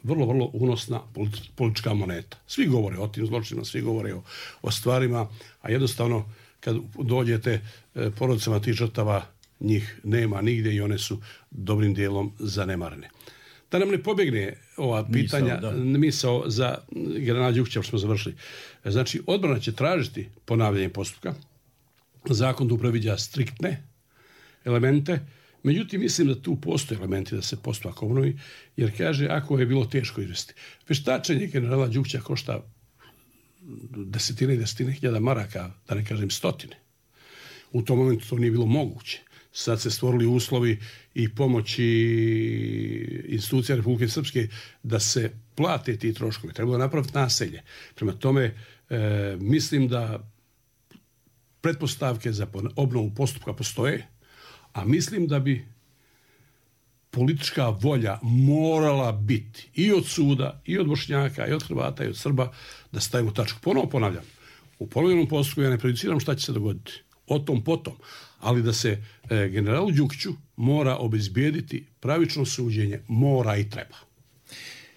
vrlo, vrlo unosna politička moneta. Svi govore o tim zločinima, svi govore o stvarima, a jednostavno kad dođete porodicama tih žrtava, njih nema nigdje i one su dobrim dijelom zanemarene. Da nam ne pobjegne ova pitanja, misao za generala Đukića, što smo završili. Znači, odbrana će tražiti ponavljanje postupka, zakon tu previđa striktne elemente, međutim mislim da tu postoje elementi da se postupak obnovi, jer kaže ako je bilo teško izvesti. Veštačenje generala Đukića košta desetine i desetine hiljada maraka, da ne kažem stotine. U tom momentu to nije bilo moguće. Sad se stvorili uslovi i pomoći institucija Republike Srpske da se plate ti troškovi. Trebalo napraviti naselje. Prema tome, mislim da pretpostavke za obnovu postupka postoje, a mislim da bi politička volja morala biti i od suda, i od Bošnjaka, i od Hrvata, i od Srba da stavimo tačku. Ponovo ponavljam, u ponovljenom postupku ja ne prejudiciram šta će se dogoditi. O tom potom. Ali da se generalu Đukiću mora obezbijediti pravično suđenje, mora i treba.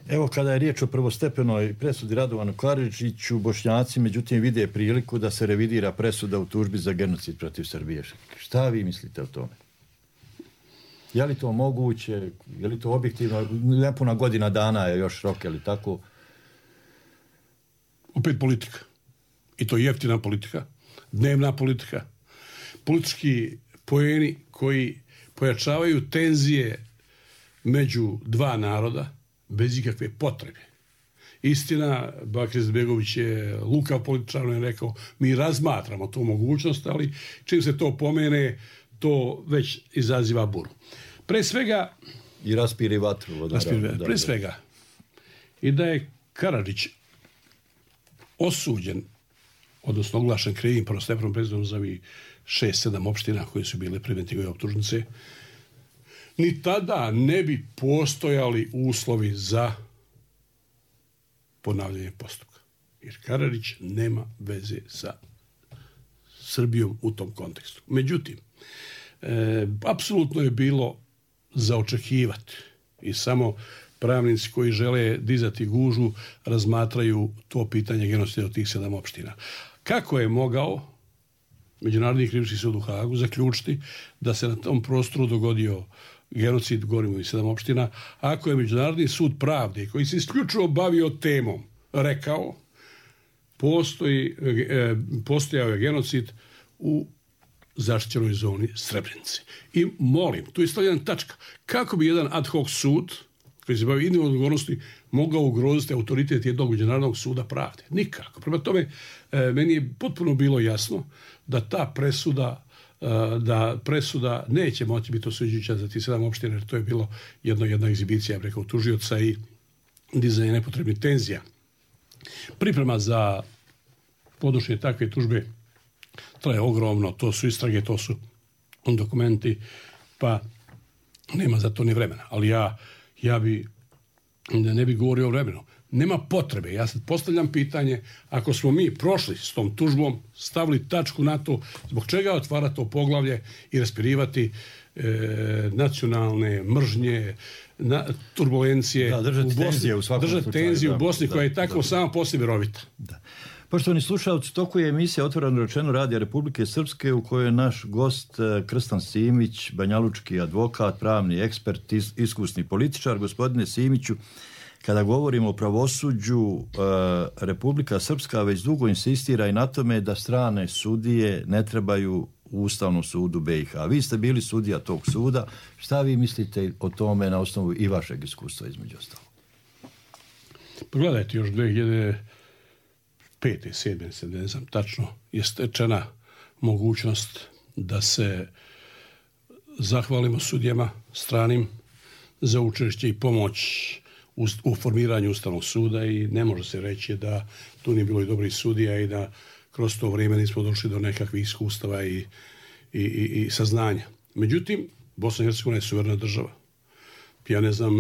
Evo, kada je riječ o prvostepenoj presudi Radovanu Karadžiću, Bošnjaci međutim vide priliku da se revidira presuda u tužbi za genocid protiv Srbije. Šta vi mislite o tome? Je li to moguće? Je li to objektivno? Nepuna godina dana je još rok, je li tako? Opet politika. I to je jeftina politika, dnevna politika. Politički poeni koji pojačavaju tenzije među dva naroda bez ikakve potrebe. Istina, Bakir Izetbegović je lukav političar, je rekao, mi razmatramo tu mogućnost, ali čim se to pomene, to već izaziva buru. Pre svega... I raspiri vatru. Pre svega, i da je Karadžić osuđen, odnosno oglašen krivim prvostepenom presudom za ovih 6-7 opština koje su bile preventivne optužnice, ni tada ne bi postojali uslovi za ponavljanje postupka. Jer Karadžić nema veze sa Srbijom u tom kontekstu. Međutim, apsolutno je bilo za očekivati i samo pravnici koji žele dizati gužu razmatraju to pitanje genocida od tih 7 opština. Kako je mogao Međunarodni krivični sud u Hagu zaključiti da se na tom prostoru dogodio genocid, govorimo i 7 opština, ako je Međunarodni sud pravde koji se isključivo bavio temom rekao postojao je genocid u zaštićenoj zoni Srebrenice. I molim, tu je stavljena tačka, kako bi jedan ad hoc sud koji se bavi individualnom odgovornosti mogao ugroziti autoritet jednog Međunarodnog suda pravde? Nikako. Prema tome, meni je potpuno bilo jasno da ta presuda neće moći biti osuđujuća za ti 7 opština, jer to je bilo jedna egzibicija, ja bih rekao, tužioca i dizanje nepotrebnih tenzija. Priprema za podnošenje takve tužbe traje ogromno, to su istrage, to su dokumenti, pa nema za to ni vremena. Ali ja bi ne bi govorio o vremenu. Nema potrebe. Ja sad postavljam pitanje, ako smo mi prošli s tom tužbom, stavili tačku na to, zbog čega otvara to poglavlje i raspirivati nacionalne mržnje, turbulencije u Bosni, držati tenziju u Bosni koja je tako sama po sebi rovita. Da. Poštovani slušalci, toku je emisija Otvoreno rečeno Radija Republike Srpske u kojoj je naš gost Krstan Simić, banjalučki advokat, pravni ekspert, iskusni političar. Gospodine Simiću, kada govorimo o pravosuđu, Republika Srpska već dugo insistira i na tome da strane sudije ne trebaju u Ustavnom sudu BiH. Vi ste bili sudija tog suda. Šta vi mislite o tome na osnovu i vašeg iskustva između ostalog? Pogledajte, još 2005. 7. ne znam tačno, je stečena mogućnost da se zahvalimo sudijama stranim za učešće i pomoć u formiranju Ustavnog suda i ne može se reći da tu nije bilo i dobrih sudija i da kroz to vrijeme nismo došli do nekakvih iskustava i saznanja. Međutim, Bosna i Hercegovina je suverena država. Ja ne znam,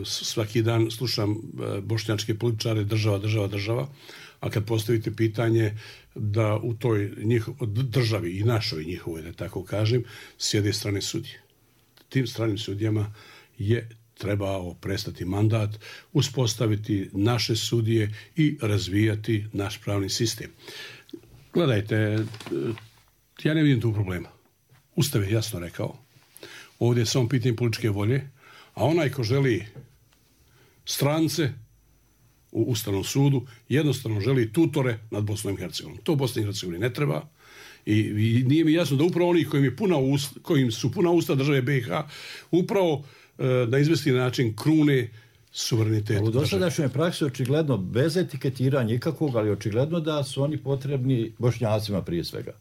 svaki dan slušam bošnjačke političare, država, a kad postavite pitanje da u toj državi i našoj njihovoj, da tako kažem, sjede strane sudije. Tim stranim sudijama je trebao prestati mandat, uspostaviti naše sudije i razvijati naš pravni sistem. Gledajte, ja ne vidim tu problema. Ustav je jasno rekao. Ovdje je samo pitanje političke volje, a onaj ko želi strance u Ustavnom sudu, jednostavno želi tutore nad Bosnom i Hercegovinom. To Bosni i Hercegovini ne treba. I nije mi jasno da upravo oni kojim su puna usta države BiH upravo na izvesni način krune suverenitet. U dosadašnjoj praksi očigledno bez etiketiranja ikakvog, ali očigledno da su oni potrebni Bošnjacima prije svega.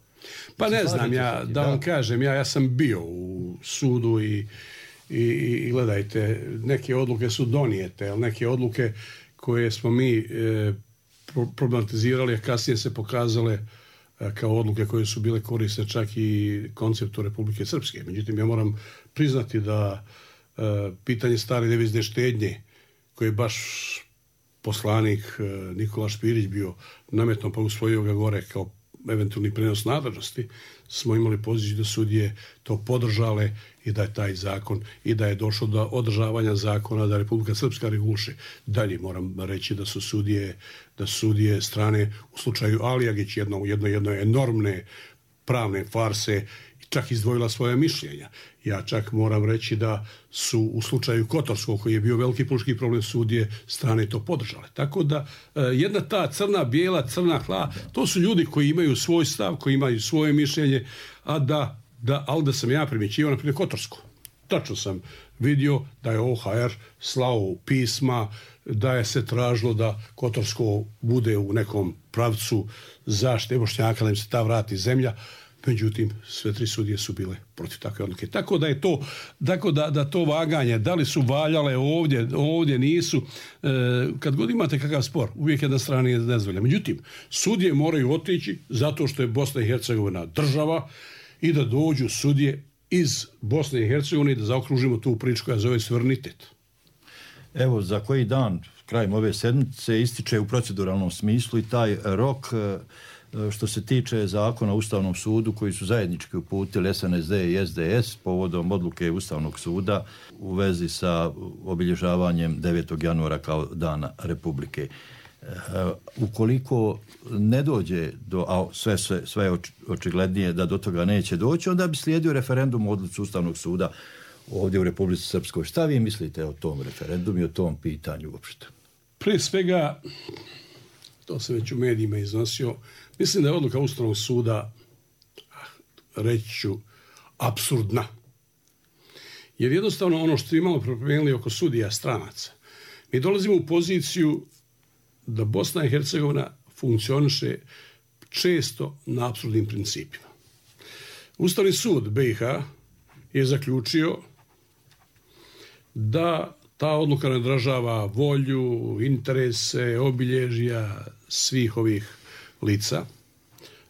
Pa ne znam, da vam kažem, ja sam bio u sudu i gledajte, neke odluke su donijete, ali neke odluke koje smo mi problematizirali, a kasnije se pokazale kao odluke koje su bile korisne čak i konceptu Republike Srpske. Međutim, ja moram priznati da pitanje stare devizne štednje, koje je baš poslanik Nikola Špirić bio nametno pa usvojio ga gore kao eventualni prenos nadležnosti, smo imali poziciju da sudije to podržale i da je taj zakon i da je došlo do održavanja zakona da Republika Srpska reguliše. Dalje moram reći da su sudije strane u slučaju Alijagić jedno enormne pravne farse čak izdvojila svoje mišljenja. Ja čak moram reći da su u slučaju Kotorskog, koji je bio veliki politički problem, sudije strane to podržale. Tako da jedna ta crna, bijela, crna hla, to su ljudi koji imaju svoj stav, koji imaju svoje mišljenje, ali da sam ja primjećivao, na primjer, Kotorsko. Tačno sam vidio da je OHR slao pisma, da je se tražilo da Kotorsko bude u nekom pravcu zaštite Bošnjaka, da im se ta vrati zemlja. Međutim, sve tri sudije su bile protiv takve odluke. Tako da je to, da to vaganje, da li su valjale ovdje nisu, kad god imate kakav spor, uvijek jedna strana je dozvoljena. Međutim, sudije moraju otići zato što je Bosna i Hercegovina država i da dođu sudije iz Bosne i Hercegovine i da zaokružimo tu priču koja zove suverenitet. Evo, za koji dan, krajem ove sedmice, ističe u proceduralnom smislu i taj rok što se tiče zakona o Ustavnom sudu koji su zajednički uputili SNSD i SDS povodom odluke Ustavnog suda u vezi sa obilježavanjem 9. januara kao Dana Republike. Ukoliko ne dođe a sve je očiglednije da do toga neće doći, onda bi slijedio referendum o odluci Ustavnog suda ovdje u Republici Srpskoj. Šta vi mislite o tom referendumu i o tom pitanju uopšte? Prije svega, to se već u medijima iznosio, mislim da je odluka Ustavnog suda, reći ću, apsurdna. Jer jednostavno ono što imamo promijenili oko sudija stranaca, mi dolazimo u poziciju da Bosna i Hercegovina funkcioniše često na apsurdnim principima. Ustavni sud BiH je zaključio da ta odluka ne odražava volju, interese, obilježja svih ovih lica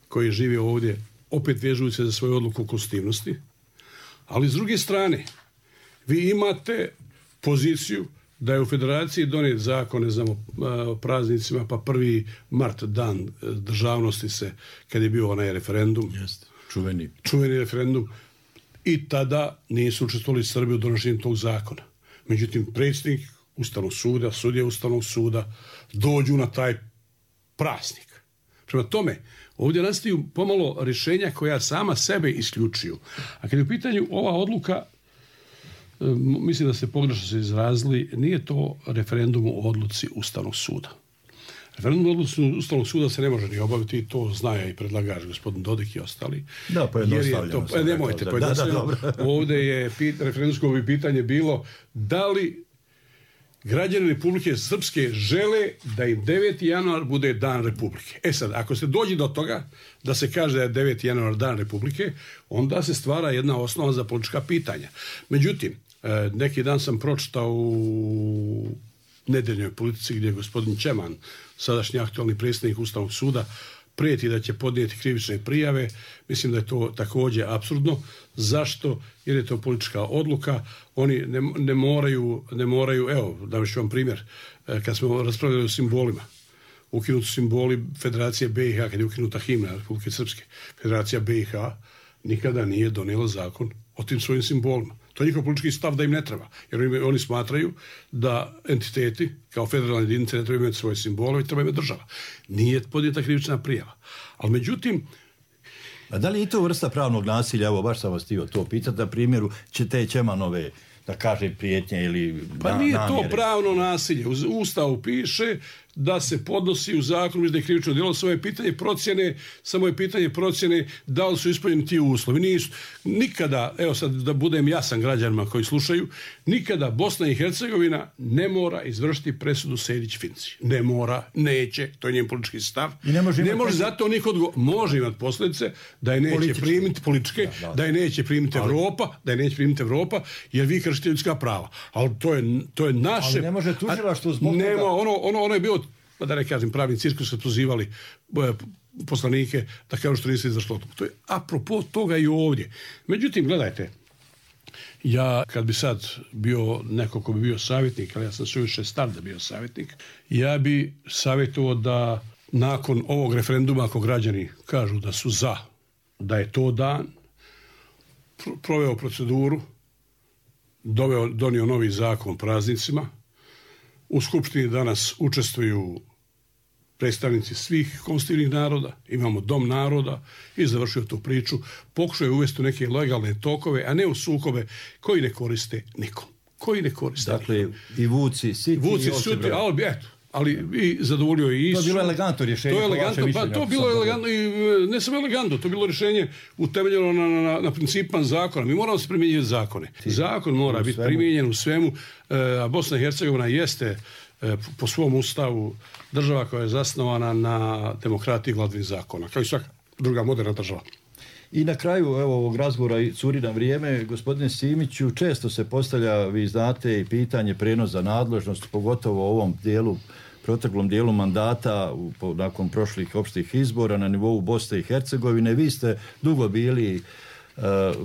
koji žive ovdje, opet vežuju se za svoju odluku o konstitutivnosti. Ali s druge strane, vi imate poziciju da je u Federaciji donijet zakon, ne znam, o praznicima, pa 1. mart, dan državnosti se, kad je bio onaj referendum, čuveni referendum, i tada nisu učestvovali Srbi u donošenju tog zakona. Međutim, predsjednik Ustavnog suda, sudije Ustavnog suda dođu na taj praznik. Prema tome, ovdje nastaju pomalo rješenja koja sama sebe isključuju. A kad je u pitanju ova odluka, mislim da ste pogrešno se izrazili, nije to referendum o odluci Ustavnog suda. Referendum o odluci Ustavnog suda se ne može ni obaviti, i to zna i predlagač gospodin Dodik i ostali. Da, pojednostavljeno. Nemojte, pojednostavljeno. Ovdje je referendumsko pitanje bilo da li građani Republike Srpske žele da im 9. januar bude dan Republike. E sad, ako se dođe do toga da se kaže da je 9. januar dan Republike, onda se stvara jedna osnova za politička pitanja. Međutim, neki dan sam pročitao u nedeljnoj politici gdje je gospodin Čeman, sadašnji aktualni predsjednik Ustavnog suda, prijeti da će podnijeti krivične prijave. Mislim da je to također apsurdno. Zašto? Jer je to politička odluka. Oni ne moraju, evo, daviš vam primjer, kad smo raspravljali o simbolima, ukinuti simboli Federacije BiH, kad je ukinuta himna Republike Srpske, Federacija BiH nikada nije donijela zakon o tim svojim simbolima. To je njihov politički stav da im ne treba. Jer oni smatraju da entiteti kao federalne jedinice ne trebaju imati svoje simbole, i treba imati država. Nije podnijeta krivična prijava. Ali međutim... A da li je to vrsta pravnog nasilja? Evo, baš sam vas htio to pitati, na primjeru će te Čemanove, da kažem, prijetnje ili Pa nije to pravno nasilje. U Ustavu piše da se podnosi u zakonu da je krivično djelo, samo je pitanje procjene da li su ispunjeni ti uslovi. Nisu. Nikada, evo sad da budem jasan građanima koji slušaju, nikada Bosna i Hercegovina ne mora izvršiti presudu Sejdić-Finci. Ne mora, neće, to je njen politički stav. Ne može zato niko može imati posljedice da je neće primiti političke, da je neće primiti Evropa, jer vi kršite ljudska prava. Ali to je naše... Ali ne može tužilaštvo zbog toga... Ono je bilo, da ne kažem, pravni cirkus su pozivali poslanike da kažu što nisu izašlo. To je apropo toga i ovdje. Međutim, gledajte, ja kad bi sad bio neko ko bi bio savjetnik, ali ja sam suviše star da bio savjetnik, ja bi savjetovao da nakon ovog referenduma, ako građani kažu da su za, da je to dan, proveo proceduru, donio novi zakon o praznicima. U Skupštini danas učestvuju predstavnici svih konstitutivnih naroda, imamo Dom naroda i završio tu priču. Pokušao je uvesti u neke legalne tokove, a ne u sukobe koji ne koriste nikom. Dakle, i Vuci, Siti, ali i zadovoljio je i to je bilo elegantno rješenje. To je bilo elegantno i ne samo elegantno, to je bilo rješenje utemeljeno na principima zakona. Mi moramo se primjenjivati zakone. Zakon mora biti primijenjen u svemu, a Bosna i Hercegovina jeste po svom ustavu država koja je zasnovana na demokratiji i vladavini zakona, kao i svaka druga moderna država. I na kraju ovog razgovora i curi nam vrijeme, gospodine Simiću, često se postavlja, vi znate, i pitanje prenosa nadležnosti, pogotovo u ovom proteklom dijelu mandata nakon prošlih opštih izbora na nivou Bosne i Hercegovine. Vi ste dugo bili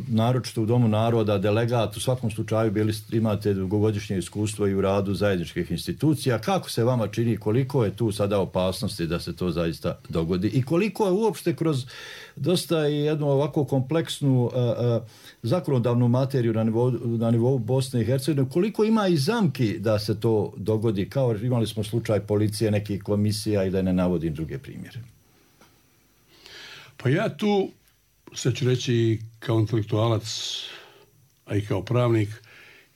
naročito u Domu naroda delegat, u svakom slučaju imate dugogodišnje iskustvo i u radu zajedničkih institucija. Kako se vama čini, koliko je tu sada opasnosti da se to zaista dogodi i koliko je uopšte kroz dosta i jednu ovako kompleksnu zakonodavnu materiju na nivou Bosne i Hercegovine, koliko ima i zamki da se to dogodi, kao imali smo slučaj policije, nekih komisija i da ne navodim druge primjere? Pa ja tu sad ću reći kao intelektualac, a i kao pravnik,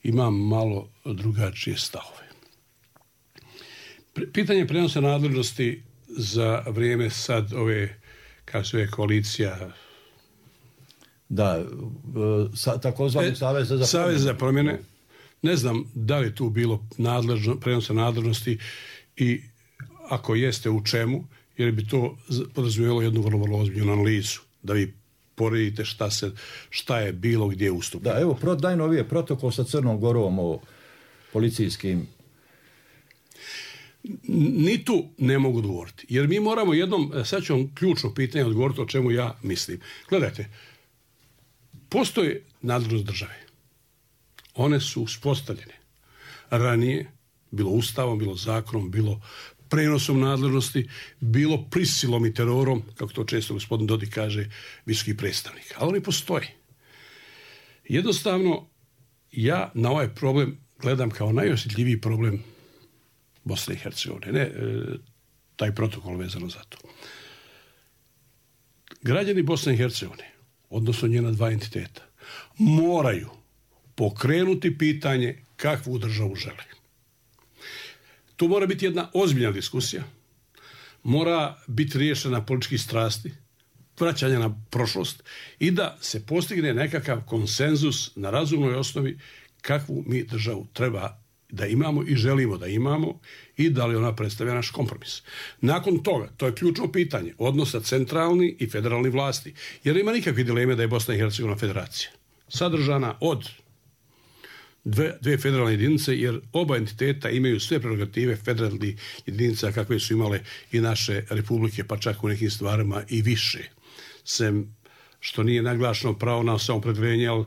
imam malo drugačije stavove. Pitanje prenosa nadležnosti za vrijeme sad ove, kako se koalicija... Da, takozvani Savez za promjene. Ne znam da li je tu bilo prenosa nadležnosti i ako jeste u čemu, jer bi to podrazumijevalo jednu vrlo ozbiljnu analizu, da vi poredite šta je bilo gdje ustup. Da, evo, najnovije protokol sa Crnom Gorom o policijskim... Ni tu ne mogu odgovoriti. Jer mi moramo sad ću vam ključno pitanje odgovoriti o čemu ja mislim. Gledajte, postoje nadležnost države. One su uspostavljene ranije, bilo ustavom, bilo zakonom, bilo prenosom nadležnosti, bilo prisilom i terorom, kako to često gospodin Dodik kaže, visoki predstavnik. Ali oni postoje. Jednostavno, ja na ovaj problem gledam kao najosjetljiviji problem Bosne i Hercegovine, ne taj protokol vezano za to. Građani Bosne i Hercegovine, odnosno njena dva entiteta, moraju pokrenuti pitanje kakvu državu žele. Tu mora biti jedna ozbiljna diskusija, mora biti riješena političkih strasti, vraćanja na prošlost i da se postigne nekakav konsenzus na razumnoj osnovi kakvu mi državu treba da imamo i želimo da imamo i da li ona predstavlja naš kompromis. Nakon toga, to je ključno pitanje, odnosa centralni i federalni vlasti, jer ima nikakve dileme da je Bosna i Hercegovina federacija, sadržana od dve federalne jedinice, jer oba entiteta imaju sve prerogative federalnih jedinica kakve su imale i naše republike, pa čak u nekim stvarima i više. Sem što nije naglašeno pravo na samoopredjeljenje, ali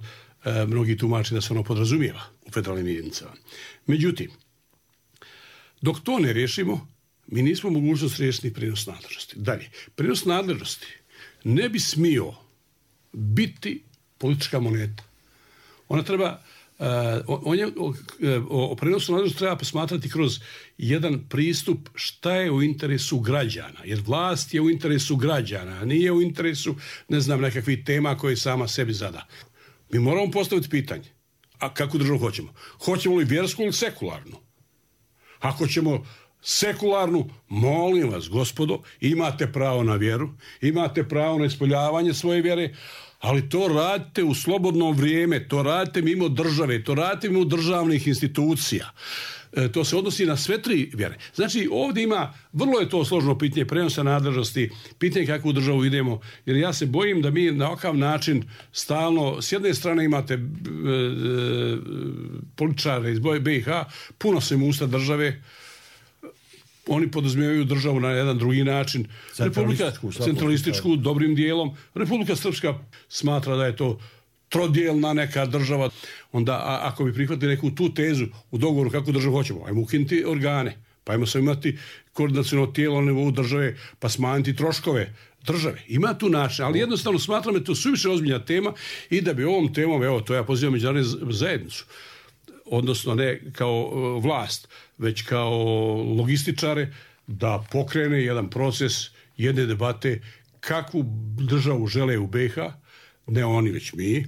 mnogi tumači da se ono podrazumijeva u federalnim jedinicama. Međutim, dok to ne riješimo, mi nismo mogućnost riješiti prijenos nadležnosti. Dalje, prijenos nadležnosti ne bi smio biti politička moneta. Ona treba o prenosu nadležnosti treba posmatrati kroz jedan pristup šta je u interesu građana, jer vlast je u interesu građana, a nije u interesu, nekakvih tema koje sama sebi zada. Mi moramo postaviti pitanje, a kakvu državu hoćemo? Hoćemo li vjersku ili sekularnu? Ako ćemo sekularnu, molim vas, gospodo, imate pravo na vjeru, imate pravo na ispoljavanje svoje vjere, ali to radite u slobodno vrijeme, to radite mimo države, to radite mimo državnih institucija. To se odnosi na sve tri vjere. Znači, ovdje ima, vrlo je to složeno pitanje prenosa nadležnosti, pitanje kakvu državu idemo, jer ja se bojim da mi na ovakav način stalno, s jedne strane imate političare iz BiH, puno se mu usta države, oni podrazumijevaju državu na jedan drugi način. Centralističku, dobrim dijelom. Republika Srpska smatra da je to trodijelna neka država. Onda, ako bi prihvatili neku tu tezu u dogovoru kakvu državu hoćemo, ajmo ukinuti organe, pa ajmo se imati koordinaciono tijelo na nivou države, pa smanjiti troškove države. Ima tu način, ali jednostavno smatram da je to suviše ozbiljna tema i da bi ovom temom, evo, to ja pozivam međunarodnu zajednicu, odnosno ne kao vlast, već kao logističare, da pokrene jedan proces, jedne debate, kakvu državu žele u BiH, ne oni već mi,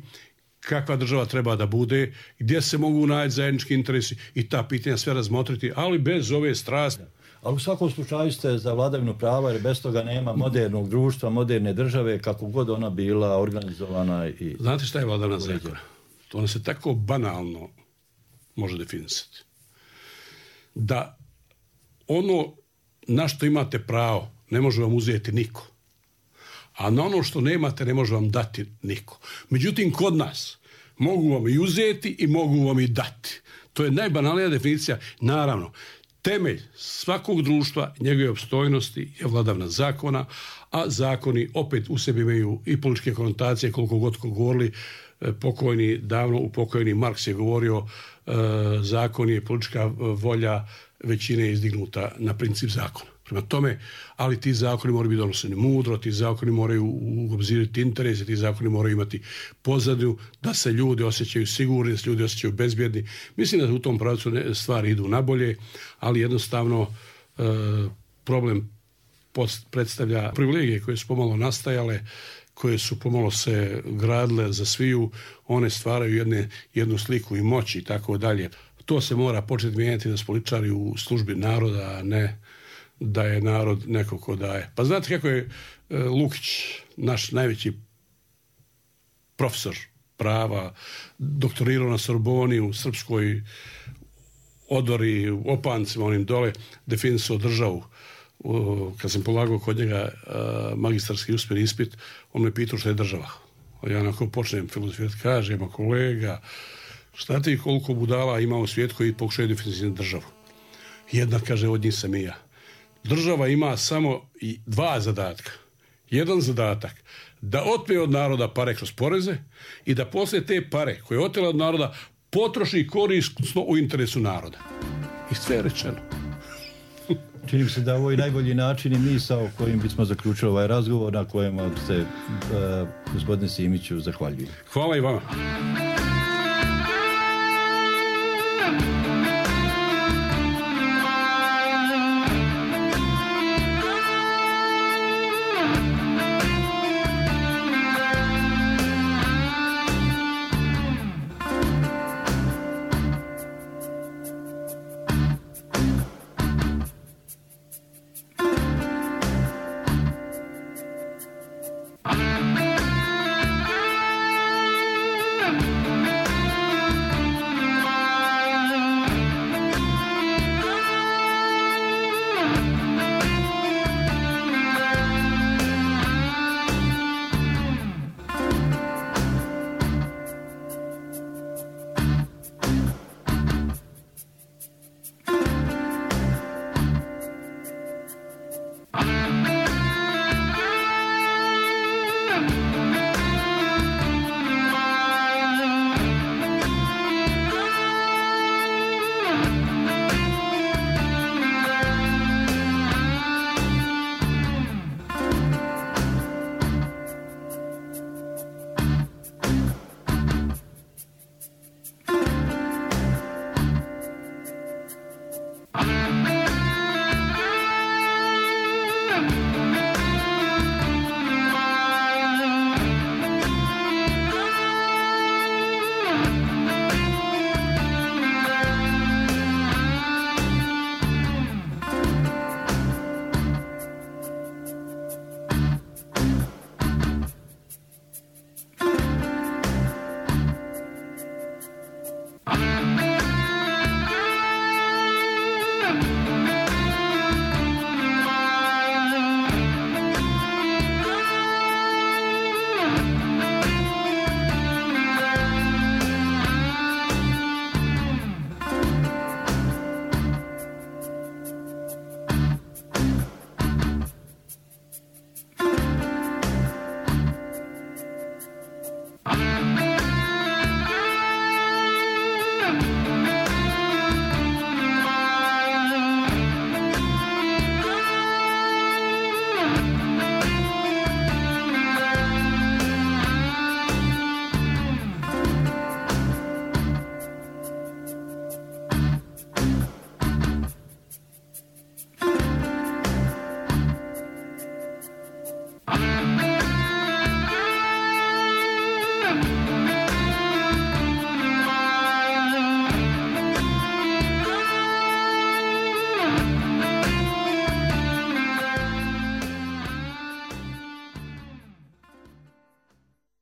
kakva država treba da bude, gdje se mogu naći zajednički interesi i ta pitanja sve razmotriti, ali bez ove strasti. Ali u svakom slučaju ste za vladavinu prava, jer bez toga nema modernog društva, moderne države, kako god ona bila organizovana. I znate šta je vladavina zakona? To ona se tako banalno može definisati. Da ono na što imate pravo ne može vam uzeti niko. A na ono što nemate ne može vam dati niko. Međutim, kod nas mogu vam i uzeti i mogu vam i dati. To je najbanalnija definicija. Naravno, temelj svakog društva, njegove opstojnosti je vladavina zakona, a zakoni opet u sebi imaju i političke konotacije, koliko god govorili pokojni, davno upokojeni Marks je govorio, zakon je politička volja većine izdignuta na princip zakona. Prema tome, ali ti zakoni moraju biti donošeni mudro, ti zakoni moraju obzirati interese, ti zakoni moraju imati pozadnju da se ljudi osjećaju sigurni, da se ljudi osjećaju bezbjedni. Mislim da u tom pravcu stvari idu nabolje, ali jednostavno problem predstavlja privilegije koje su pomalo nastajale, koje su pomalo se gradile za sviju, one stvaraju jednu sliku i moći i tako dalje. To se mora početi mijenjati da su političari u službi naroda, a ne da je narod neko ko daje. Pa znate kako je Lukić, naš najveći profesor prava, doktorirao na Sorboni u srpskoj odori, u Opancima, onim dole, definisao državu. Kad sam polagao kod njega magistarski uspjeni ispit, on me pitao što je država. Ja onako počnem filozofirati, kažem, kolega, šta ti koliko budala ima u svijetu koji pokušaju definisati državu? Jedna, kaže, od njih sam i ja. Država ima samo dva zadatka. Jedan zadatak, da otme od naroda pare kroz poreze i da poslije te pare koje je otela od naroda potroši korisno u interesu naroda. I sve je rečeno. Čini mi se da ovo je najbolji način i misao kojim bismo zaključili ovaj razgovor, na kojem se gospodine Simiću zahvaljujem. Hvala i vama.